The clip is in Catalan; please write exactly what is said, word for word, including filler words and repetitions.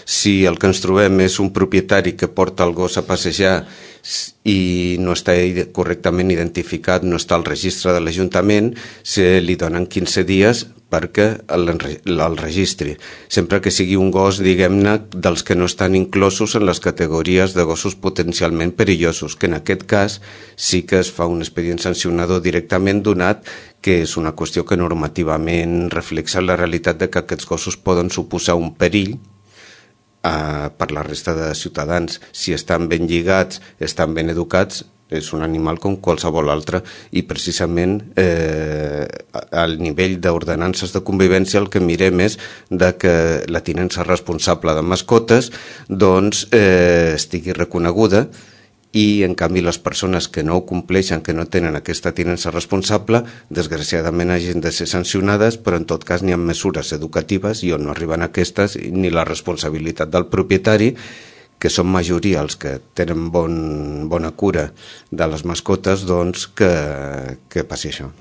Si el que ens trobem és un propietari que porta el gos a passejar i no està correctament identificat, no està al registre de l'Ajuntament, se li donen quinze dies perquè el, el registri, sempre que sigui un gos, diguem-ne, dels que no estan inclosos en les categories de gossos potencialment perillosos, que en aquest cas sí que es fa un expedient sancionador directament, donat que és una qüestió que normativament reflexa la realitat de que aquests gossos poden suposar un perill Uh, per la resta de ciutadans. Si estan ben lligats, estan ben educats, és un animal com qualsevol altre, i precisament eh, al nivell d'ordenances de convivència el que mirem és de que la tinença responsable de mascotes doncs eh, estigui reconeguda, i en canvi les persones que no ho compleixen, que no tenen aquesta tinença responsable, desgraciadament hagin de ser sancionades, però en tot cas n'hi ha mesures educatives i on no arriben aquestes, ni la responsabilitat del propietari, que són majoria els que tenen bon, bona cura de les mascotes, doncs que, que passi això.